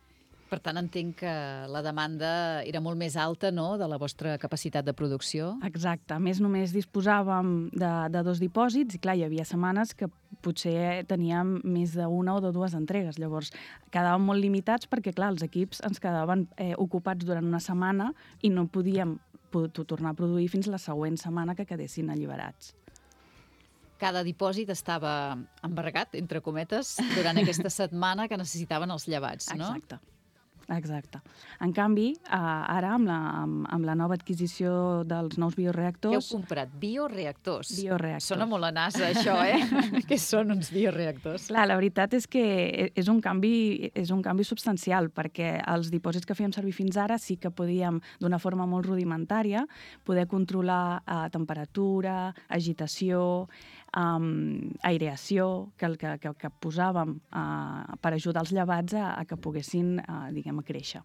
Per tant, entenc que la demanda era molt més alta, no?, de la vostra capacitat de producció. Exacte. A més, només disposàvem de, de dos dipòsits i, clar, hi havia setmanes que potser teníem més d'una o de dues entregues. Llavors, quedàvem molt limitats perquè, clar, els equips ens quedaven eh, ocupats durant una setmana i no podíem tornar a produir fins la següent setmana que quedessin alliberats. Cada dipòsit estava embargat, entre cometes, durant aquesta setmana que necessitaven els llevats, no? Exacte. Exacte. En canvi, eh, ara, amb la, amb, amb la nova adquisició dels nous bioreactors... Què heu comprat? Bioreactors? Bioreactors. Sona molt a NASA, això, eh? Què són uns bioreactors? Clar, la veritat és que és un canvi, és un canvi substancial, perquè els dipòsits que fèiem servir fins ara sí que podíem, d'una forma molt rudimentària, poder controlar eh, temperatura, agitació, Um, aireació que, que, que, que posàvem uh, per ajudar els llevats a, a que poguessin, uh, diguem, a créixer.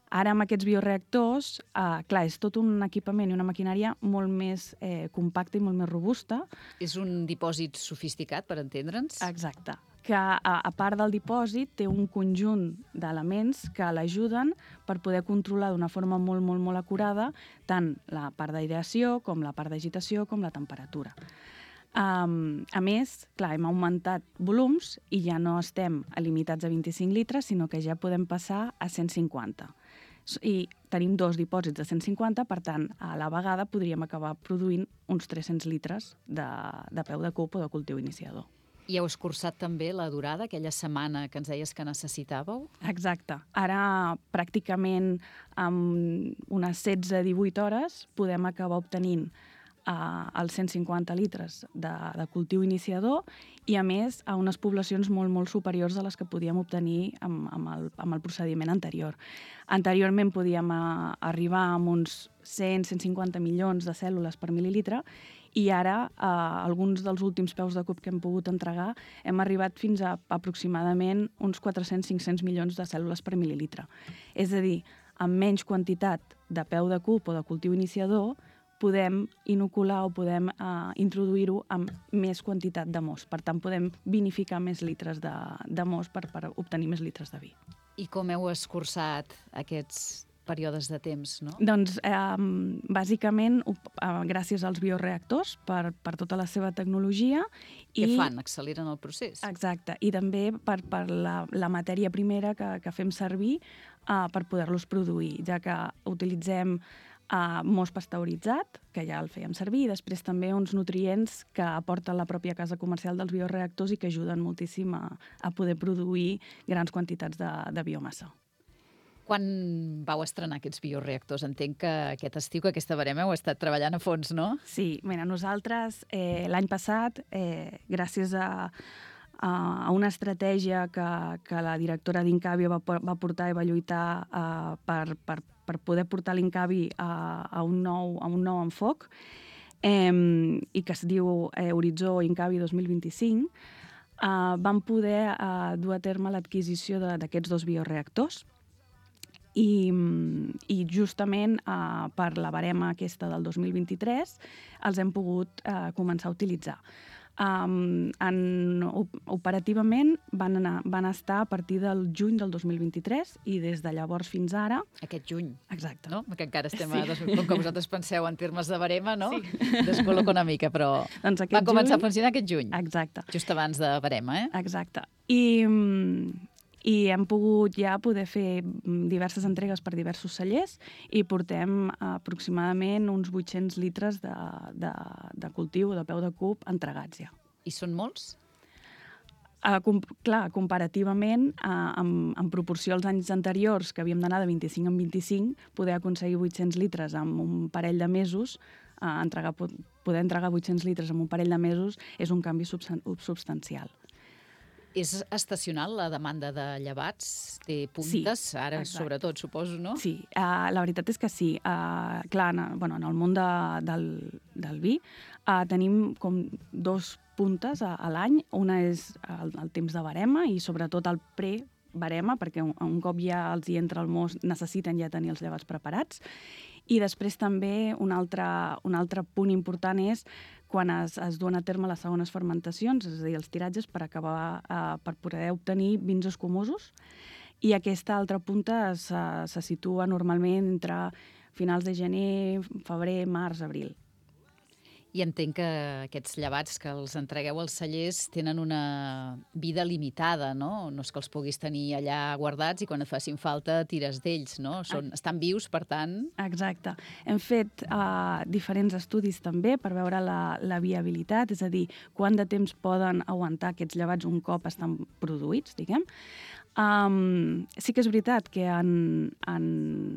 Ara, amb aquests bioreactors, uh, clar, és tot un equipament i una maquinària molt més eh, compacta i molt més robusta. És un dipòsit sofisticat, per entendre'ns? Exacte. Que, a, a part del dipòsit, té un conjunt d'elements que l'ajuden per poder controlar d'una forma molt, molt, molt acurada tant la part d'aireació, com la part d'agitació, com la temperatura. Um, a més, clar, hem augmentat volums i ja no estem limitats a vint-i-cinc litres, sinó que ja podem passar a cent cinquanta. I tenim dos dipòsits de cent cinquanta, per tant, a la vegada podríem acabar produint uns tres-cents litres de, de peu de cub o de cultiu iniciador. I heu escurçat també la durada, aquella setmana que ens deies que necessitàveu? Exacte. Ara, pràcticament, amb unes setze a divuit hores, podem acabar obtenint uh, els cent cinquanta litres de, de cultiu iniciador i, a més, a unes poblacions molt, molt superiors a les que podíem obtenir amb, amb, el, amb el procediment anterior. Anteriorment podíem uh, arribar a uns cent a cent cinquanta milions de cèl·lules per mil·lilitre i ara, eh, alguns dels últims peus de cub que hem pogut entregar, hem arribat fins a aproximadament uns quatre-cents a cinc-cents milions de cèl·lules per mil·lilitre. És a dir, amb menys quantitat de peu de cub o de cultiu iniciador, podem inocular o podem eh, introduir-ho amb més quantitat de mos. Per tant, podem vinificar més litres de, de mos per, per obtenir més litres de vi. I com heu escurçat aquests períodes de temps, no? Doncs, eh, bàsicament, eh, gràcies als bioreactors, per, per tota la seva tecnologia. Què i... fan? Acceleren el procés? Exacte. I també per, per la, la matèria primera que, que fem servir eh, per poder-los produir, ja que utilitzem eh, mos pasteuritzat, que ja el fèiem servir, i després també uns nutrients que aporta la pròpia casa comercial dels bioreactors i que ajuden moltíssim a, a poder produir grans quantitats de, de biomassa. Quan vau estrenar aquests bioreactors? Entenc que aquest estiu, que aquesta barema, heu estat treballant a fons, no? Sí, mira, nosaltres eh, l'any passat, eh, gràcies a, a una estratègia que, que la directora d'Incavi va, va portar i va lluitar eh, per, per, per poder portar l'Incavi a, a, un nou, a un nou enfoc, eh, i que es diu eh, Horitzó Incavi dos mil vint-i-cinc, eh, vam poder eh, dur a terme l'adquisició d'aquests dos bioreactors. I, i justament eh, per la barema aquesta del dos mil vint-i-tres els hem pogut eh, començar a utilitzar. Um, en, operativament van, anar, van estar a partir del juny del dos mil vint-i-tres i des de llavors fins ara... Aquest juny. Exacte. No? Perquè encara estem sí. a... Com que vosaltres penseu en termes de barema, no? Sí. Descol·loco una mica, però doncs va començar juny... a funcionar aquest juny. Exacte. Just abans de barema, eh? Exacte. I... i hem pogut ja poder fer diverses entregues per diversos cellers i portem aproximadament uns vuit-cents litres de, de, de cultiu, de peu de cub, entregats ja. I són molts? Uh, com, clar, comparativament, uh, en, en proporció als anys anteriors, que havíem d'anar de vint-i-cinc en vint-i-cinc, poder aconseguir vuit-cents litres en un parell de mesos, uh, entregar, poder entregar vuit-cents litres en un parell de mesos és un canvi substancial. És estacional la demanda de llevats? Té puntes, sí, ara exacte. Sobretot, suposo, no? Sí, uh, la veritat és que sí. Uh, clar, en, bueno, en el món de, del, del vi uh, tenim com dos puntes a, a l'any. Una és el, el temps de barema i sobretot el pre-barema, perquè un, un cop ja els hi entra el mos necessiten ja tenir els llevats preparats. I després també un altre, un altre punt important és quan es, es duen a terme les segones fermentacions, és a dir, els tiratges per acabar, eh, per poder obtenir vins escumosos. I aquesta altra punta se, se situa normalment entre finals de gener, febrer, març, abril. I entenc que aquests llevats que els entregueu als cellers tenen una vida limitada, no? No és que els puguis tenir allà guardats i quan et facin falta tires d'ells, no? Són, estan vius, per tant... Exacte. Hem fet uh, diferents estudis també per veure la, la viabilitat, és a dir, quant de temps poden aguantar aquests llevats un cop estan produïts, diguem. Um, sí que és veritat que en, en,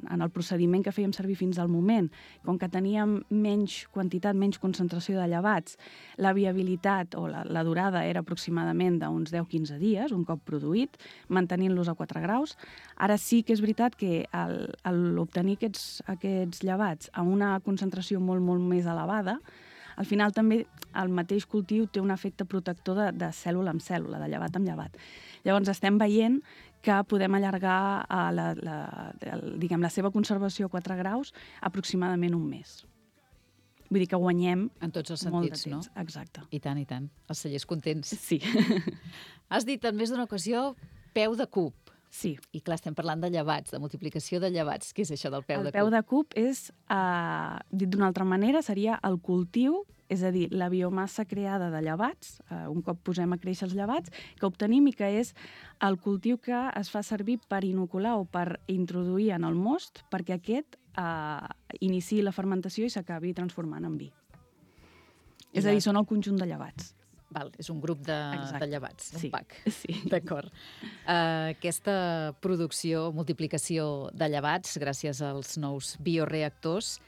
en el procediment que fèiem servir fins al moment, com que teníem menys quantitat, menys concentració de llevats, la viabilitat o la, la durada era aproximadament d'uns deu a quinze dies, un cop produït, mantenint-los a quatre graus. Ara sí que és veritat que l'obtenir aquests, aquests llevats a una concentració molt, molt més elevada, al final també el mateix cultiu té un efecte protector de, de cèl·lula amb cèl·lula, de llevat amb llevat. Llavors estem veient que podem allargar a la, la, el, diguem, la seva conservació a quatre graus aproximadament un mes. Vull dir que guanyem en tots els molt de sentits, temps. No? Exacte. I tant, i tant. Els cellers contents. Sí. Has dit en més d'una ocasió peu de cub. Sí. I clar, estem parlant de llevats, de multiplicació de llevats. Què és això del peu el de cub? El peu de cub és, eh, dit d'una altra manera, seria el cultiu és a dir, la biomassa creada de llevats, eh, un cop posem a créixer els llevats, que obtenim i que és el cultiu que es fa servir per inocular o per introduir en el most perquè aquest eh, iniciï la fermentació i s'acabi transformant en vi. I és a dir, són el conjunt de llevats. Val, és un grup de, de llevats, un sí. pack. Sí. D'acord. Uh, aquesta producció, multiplicació de llevats, gràcies als nous bioreactors,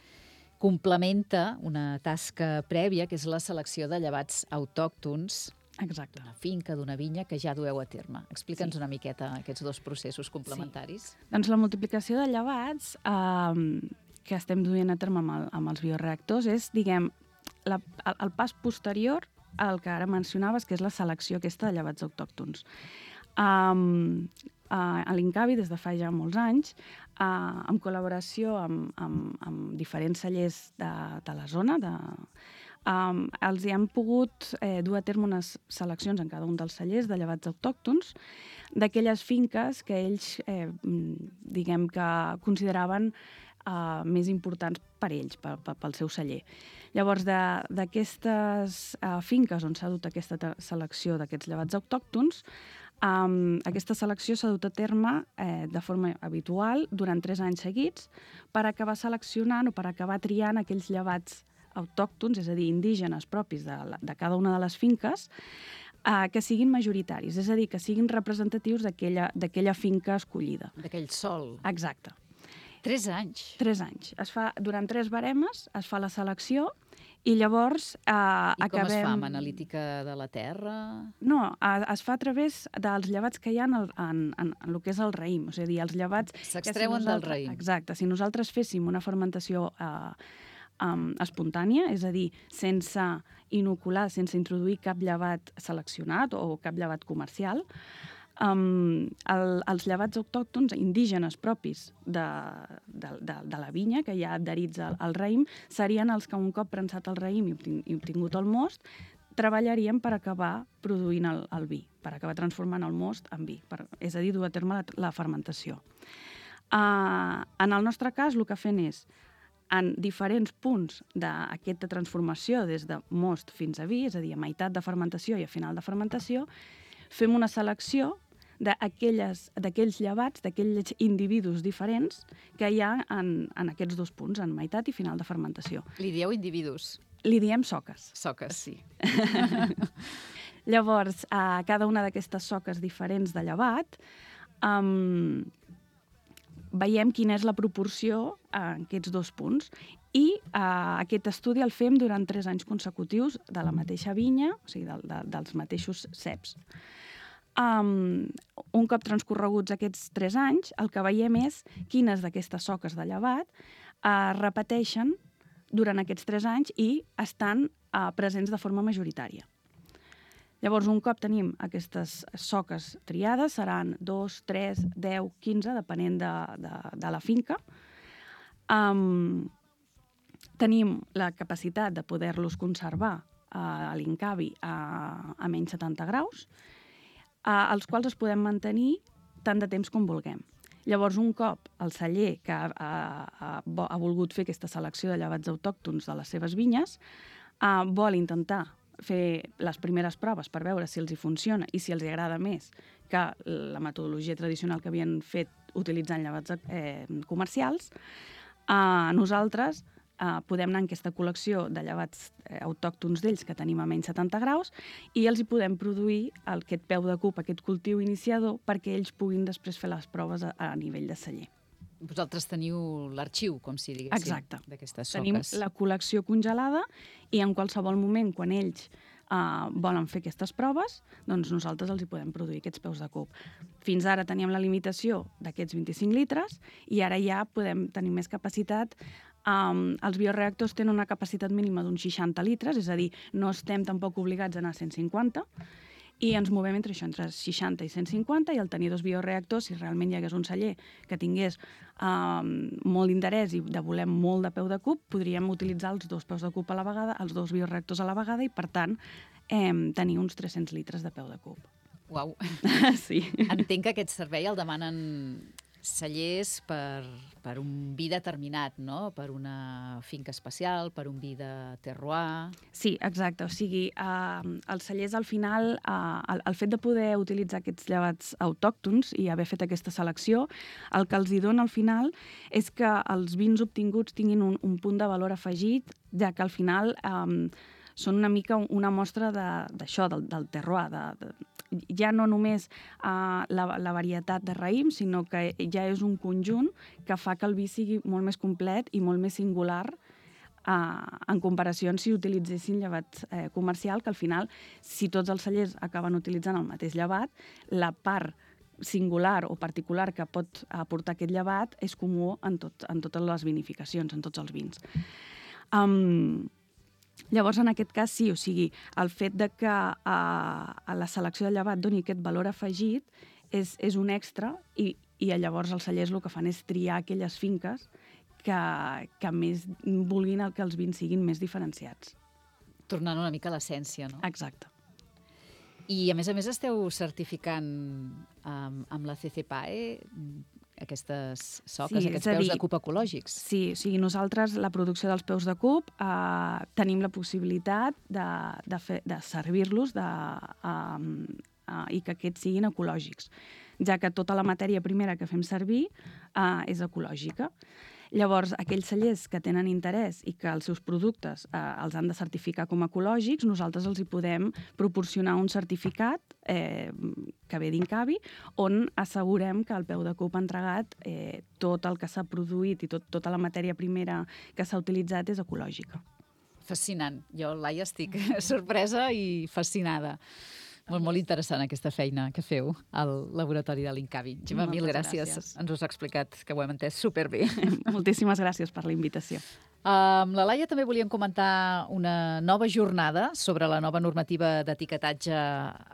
complementa una tasca prèvia, que és la selecció de llevats autòctons d'una finca, d'una vinya, que ja dueu a terme. Explica'ns sí. una miqueta aquests dos processos complementaris. Sí. Doncs la multiplicació de llevats eh, que estem duent a terme amb, el, amb els bioreactors és, diguem, la, el, el pas posterior el que ara mencionaves, que és la selecció aquesta de llevats autòctons. Um, uh, a l'Incavi, des de fa ja molts anys, uh, en col·laboració amb, amb, amb diferents cellers de, de la zona, de, um, els hi han pogut eh, dur a terme unes seleccions en cada un dels cellers de llevats autòctons d'aquelles finques que ells, eh, diguem que consideraven Uh, més importants per ells, pel, pel seu celler. Llavors, d'aquestes uh, finques on s'ha dut aquesta selecció d'aquests llevats autòctons, um, aquesta selecció s'ha dut a terme eh, de forma habitual durant tres anys seguits per acabar seleccionant o per acabar triant aquells llevats autòctons, és a dir, indígenes propis de, la, de cada una de les finques, Uh, que siguin majoritaris, és a dir, que siguin representatius d'aquella finca escollida. D'aquell sol. Exacte. Tres anys? Tres anys. Es fa, durant tres baremes es fa la selecció i llavors eh, I com acabem... es fa? Amb analítica de la terra? No, es fa a través dels llevats que hi ha en, el, en, en, en el que és el raïm. És a dir, els llevats... S'extreuen si del raïm. Exacte. Si nosaltres féssim una fermentació eh, um, espontània, és a dir, sense inocular, sense introduir cap llevat seleccionat o cap llevat comercial, Um, el, els llevats autòctons indígenes propis de, de, de, de la vinya, que hi ha adherits al, al raïm, serien els que un cop prensat el raïm i, obtin, i obtingut el most, treballarien per acabar produint el, el vi, per acabar transformant el most en vi, per, és a dir, dur a terme la, la fermentació. Uh, en el nostre cas, el que fem és, en diferents punts d'aquesta transformació, des de most fins a vi, és a dir, a meitat de fermentació i a final de fermentació, fem una selecció d'aquells llevats, d'aquells individus diferents que hi ha en, en aquests dos punts, en meitat i final de fermentació. Li dieu individus? Li diem soques. Soques. Sí. Llavors, a cada una d'aquestes soques diferents de llevat, um, veiem quina és la proporció en aquests dos punts i uh, aquest estudi el fem durant tres anys consecutius de la mateixa vinya, o sigui, de, de, dels mateixos ceps. Um, un cop transcorreguts aquests tres anys, el que veiem és quines d'aquestes soques de llevat uh, repeteixen durant aquests tres anys i estan uh, presents de forma majoritària. Llavors, un cop tenim aquestes soques triades, seran dos, tres, deu, quinze, depenent de, de, de la finca. Um, tenim la capacitat de poder-los conservar uh, a l'Incavi a, a menys setanta graus, Uh, els quals es podem mantenir tant de temps com vulguem. Llavors, un cop el celler que ha, ha, ha volgut fer aquesta selecció de llevats autòctons de les seves vinyes uh, vol intentar fer les primeres proves per veure si els hi funciona i si els hi agrada més que la metodologia tradicional que havien fet utilitzant llevats eh, comercials, uh, nosaltres Uh, podem anar en aquesta col·lecció de llevats eh, autòctons d'ells que tenim a menys setanta graus i els hi podem produir el, aquest peu de cup, aquest cultiu iniciador, perquè ells puguin després fer les proves a, a nivell de celler. Vosaltres teniu l'arxiu, com si diguéssim, d'aquestes soques. Tenim la col·lecció congelada i en qualsevol moment, quan ells uh, volen fer aquestes proves, doncs nosaltres els hi podem produir aquests peus de cup. Fins ara teníem la limitació d'aquests vint-i-cinc litres i ara ja podem tenir més capacitat. Um, els bioreactors tenen una capacitat mínima d'uns seixanta litres, és a dir, no estem tampoc obligats a anar a cent cinquanta, i ens movem entre això, entre seixanta i cent cinquanta, i al tenir dos bioreactors, si realment hi hagués un celler que tingués um, molt d'interès i de voler molt de peu de cup, podríem utilitzar els dos peus de cup a la vegada, els dos bioreactors a la vegada, i per tant eh, tenir uns tres-cents litres de peu de cup. Uau! Sí. Entenc que aquest servei el demanen cellers per, per un vi determinat, no? Per una finca especial, per un vi de terroir... Sí, exacte. O sigui, eh, els cellers al final, eh, el, el fet de poder utilitzar aquests llevats autòctons i haver fet aquesta selecció, el que els hi dona al final és que els vins obtinguts tinguin un, un punt de valor afegit, ja que al final eh, són una mica una mostra d'això, de, del, del terroir, de, de, ja no només uh, la, la varietat de raïm, sinó que ja és un conjunt que fa que el vi sigui molt més complet i molt més singular uh, en comparació amb si utilitzessin llevat eh, comercial, que al final, si tots els cellers acaben utilitzant el mateix llevat, la part singular o particular que pot aportar aquest llevat és comú en, tot, en totes les vinificacions, en tots els vins. Um, Llavors, en aquest cas, sí, o sigui, el fet de que uh, a la selecció de llevat doni aquest valor afegit és, és un extra i, i llavors els cellers el que fan és triar aquelles finques que, que més vulguin el que els vins siguin més diferenciats. Tornant una mica a l'essència, no? Exacte. I, a més a més, esteu certificant um, amb la C C P A E aquestes soques, sí, aquests peus dir, de cup ecològics. Sí, o sigui, nosaltres, la producció dels peus de cup, eh, tenim la possibilitat de, de, fer, de servir-los de, eh, eh, i que aquests siguin ecològics, ja que tota la matèria primera que fem servir eh, és ecològica. Llavors, aquells cellers que tenen interès i que els seus productes eh, els han de certificar com a ecològics, nosaltres els hi podem proporcionar un certificat eh, que ve d'Incavi, on assegurem que el peu de cup entregat, eh, tot el que s'ha produït i tot, tota la matèria primera que s'ha utilitzat és ecològica. Fascinant. Jo, Laia, estic sorpresa i fascinada. Molt, molt interessant aquesta feina que feu al laboratori de l'Incavi. Gemma, mil gràcies. gràcies. Ens ho has explicat, que ho hem entès superbé. Moltíssimes gràcies per la invitació. Amb la Laia també volíem comentar una nova jornada sobre la nova normativa d'etiquetatge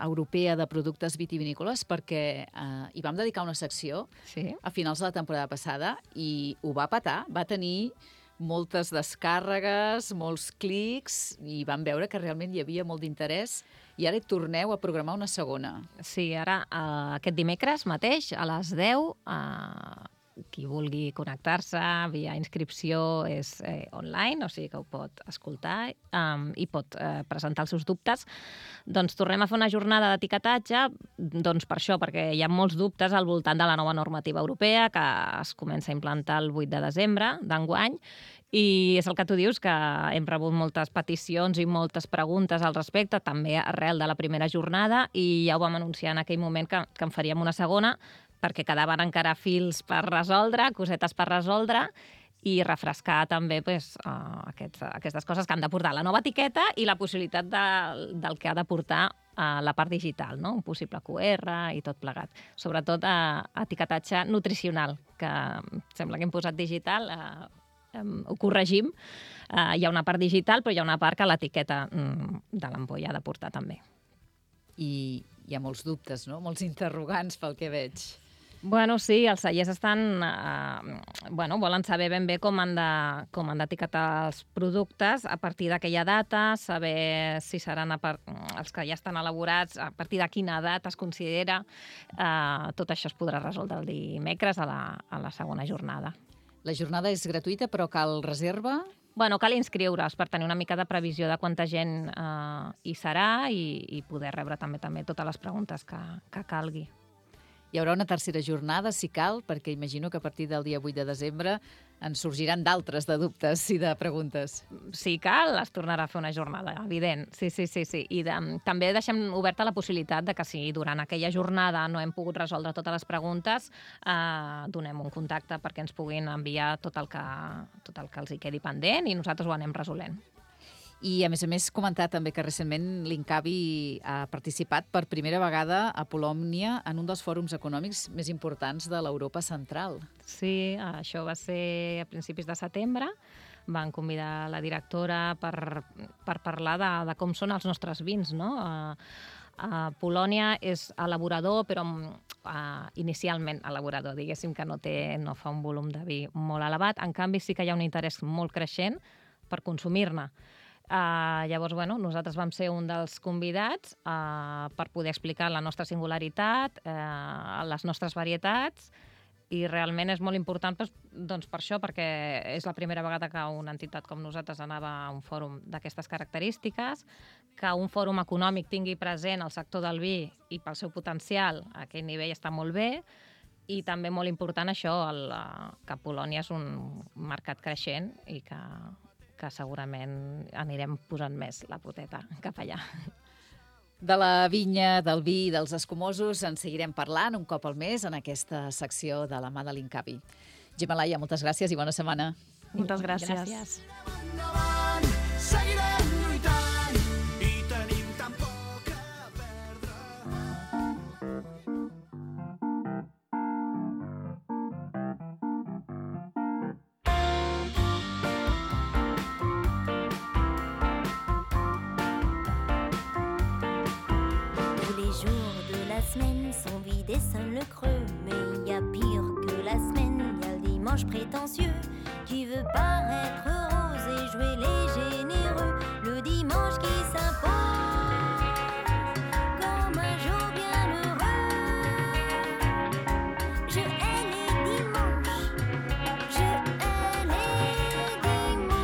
europea de productes vitivinícoles, perquè eh, hi vam dedicar una secció sí. a finals de la temporada passada i ho va petar, va tenir moltes descàrregues, molts clics, i vam veure que realment hi havia molt d'interès. I ara hi torneu a programar una segona. Sí, ara eh, aquest dimecres mateix a les deu, eh, qui vulgui connectar-se via inscripció és eh, online, o sigui que ho pot escoltar eh, i pot eh, presentar els seus dubtes. Doncs tornem a fer una jornada d'etiquetatge, doncs per això, perquè hi ha molts dubtes al voltant de la nova normativa europea que es comença a implantar el vuit de desembre d'enguany. I és el que tu dius, que hem rebut moltes peticions i moltes preguntes al respecte, també arrel de la primera jornada, i ja ho vam anunciar en aquell moment que, que en faríem una segona, perquè quedaven encara fils per resoldre, cosetes per resoldre, i refrescar també pues, uh, aquests, aquestes coses que han de portar la nova etiqueta i la possibilitat de, del que ha de portar uh, la part digital, no? Un possible Q R i tot plegat. Sobretot uh, etiquetatge nutricional, que sembla que hem posat digital... Uh, Um, ho corregim. Uh, hi ha una part digital, però hi ha una part que l'etiqueta um, de l'ampolla ha de portar també. I hi ha molts dubtes, no? Molts interrogants pel que veig. Bueno, sí, els cellers estan... Uh, bueno, volen saber ben bé com han de, com han d'etiquetar els productes a partir d'aquella data, saber si seran a part, els que ja estan elaborats, a partir de quina data es considera. Uh, tot això es podrà resoldre el dimecres a la, a la segona jornada. La jornada és gratuïta, però cal reserva? Bueno, cal inscriure's per tenir una mica de previsió de quanta gent eh, hi serà i, i poder rebre també també totes les preguntes que, que calgui. Hi haurà una tercera jornada, si cal, perquè imagino que a partir del dia vuit de desembre en sorgiran d'altres de dubtes i de preguntes. Si cal, es tornarà a fer una jornada, evident. Sí, sí, sí. sí. I de, també deixem oberta la possibilitat de que si durant aquella jornada no hem pogut resoldre totes les preguntes, eh, donem un contacte perquè ens puguin enviar tot el que, tot el que els hi quedi pendent i nosaltres ho anem resolent. I, a més a més, comentar també que recentment l'Incavi ha participat per primera vegada a Polònia en un dels fòrums econòmics més importants de l'Europa central. Sí, això va ser a principis de setembre. Van convidar la directora per, per parlar de, de com són els nostres vins, no? Uh, uh, Polònia és elaborador, però uh, inicialment elaborador, diguéssim que no, té, no fa un volum de vi molt elevat. En canvi, sí que hi ha un interès molt creixent per consumir-ne. Uh, llavors, bueno, nosaltres vam ser un dels convidats uh, per poder explicar la nostra singularitat, uh, les nostres varietats I realment és molt important doncs, doncs per això, perquè és la primera vegada que una entitat com nosaltres anava a un fòrum d'aquestes característiques, que un fòrum econòmic tingui present el sector del vi i pel seu potencial, a aquell nivell està molt bé, i també molt important això, el, que Polònia és un mercat creixent i que, que segurament anirem posant més la poteta cap allà. De la vinya, del vi i dels escumosos en seguirem parlant un cop al mes en aquesta secció de la mà de l'Incavi. Gemma Laia, moltes gràcies i bona setmana. Moltes gràcies. Gràcies. Seguirem lluitant i tenim tan poc a perdre. Tous les jours de la semaine sont vides et sonne le creux. Mais il y a pire que la semaine, il y a le dimanche prétentieux qui veut paraître rose et jouer les généreux. Le dimanche qui s'impose comme un jour bien heureux. Je hais les dimanches, je hais les dimanches.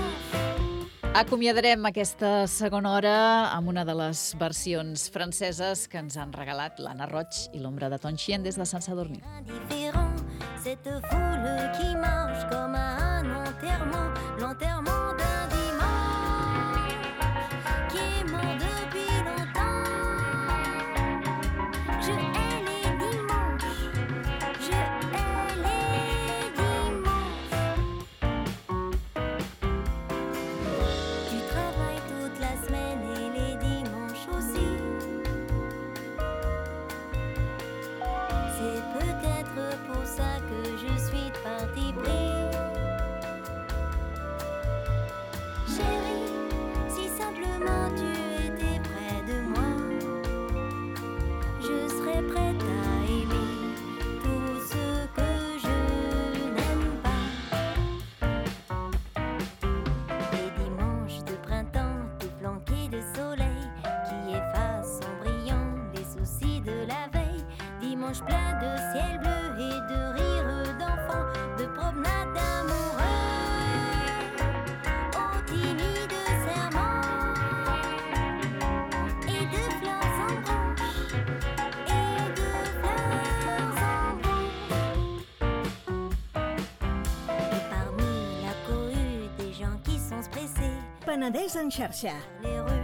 Acomiadarem aquesta segona hora amb una de les versions franceses que ens han regalat l'Anna Roig i l'Ombra de Tonchien des de Sant Sadurní. Indifférent, cette foule qui marche comme à un enterrement, l'enterrement d'un dimanche qui est mort depuis longtemps. Je hais les dimanches, je hais les dimanches. Tu travailles toute la semaine et les dimanches aussi. C'est peut-être pour ça que je suis de parti pris. Chérie, si simplement tu étais près de moi, je serais prête à aimer tout ce que je n'aime pas. Les dimanches de printemps, tout flanqués de soleil, qui effacent en brillant les soucis de la veille. Dimanche plein de ciel bleu et de rires d'enfants, de promenades amoureux, aux timides serments, et de fleurs en branche, et de fleurs en branche. Et parmi la cohue des gens qui sont stressés, Penedès en xarxa. les rues